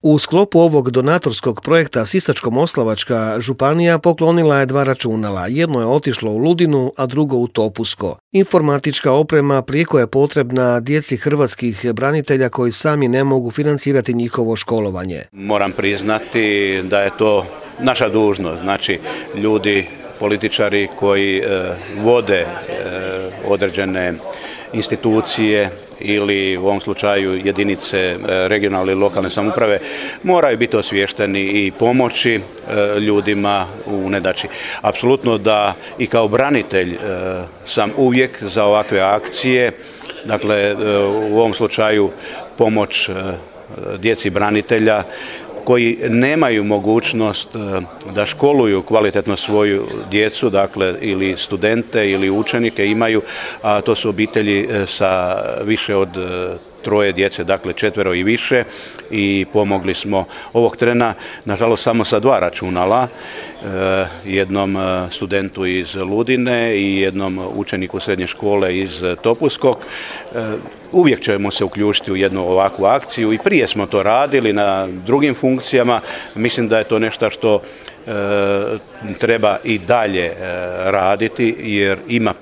U sklopu ovog donatorskog projekta Sisačko-moslavačka županija poklonila je 2 računala. Jedno je otišlo u Ludinu, a drugo u Topusko. Informatička oprema prijeko je potrebna djeci hrvatskih branitelja koji sami ne mogu financirati njihovo školovanje. Moram priznati da je to naša dužnost, znači ljudi, političari koji vode određene institucije ili u ovom slučaju jedinice regionalne i lokalne samouprave moraju biti osviješteni i pomoći ljudima u nedaći. Apsolutno da i kao branitelj sam uvijek za ovakve akcije, dakle u ovom slučaju pomoć djeci branitelja koji nemaju mogućnost da školuju kvalitetno svoju djecu, dakle ili studente ili učenike imaju, a to su obitelji sa više od 3 djece, dakle 4 i više, i pomogli smo ovog trena, nažalost samo sa 2 računala, jednom studentu iz Ludine i jednom učeniku srednje škole iz Topuskog. Uvijek ćemo se uključiti u jednu ovakvu akciju i prije smo to radili na drugim funkcijama. Mislim da je to nešto što treba i dalje raditi jer ima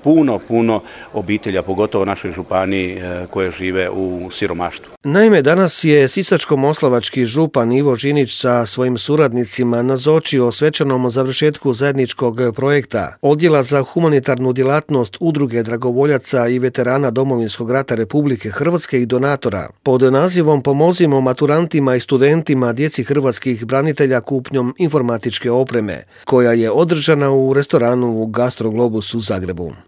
puno obitelja, pogotovo u našoj županiji, koje žive u siromaštvu. Naime, danas je sisačko-moslavački župan Ivo Žinić sa svojim suradnicima nazočio svečanom završetku zajedničkog projekta Odjela za humanitarnu djelatnost Udruge dragovoljaca i veterana Domovinskog rata Republike Hrvatske i donatora pod nazivom Pomozimo maturantima i studentima djeci hrvatskih branitelja kupnjom informatičke opreme, koja je održana u restoranu Gastro Globus u Zagrebu.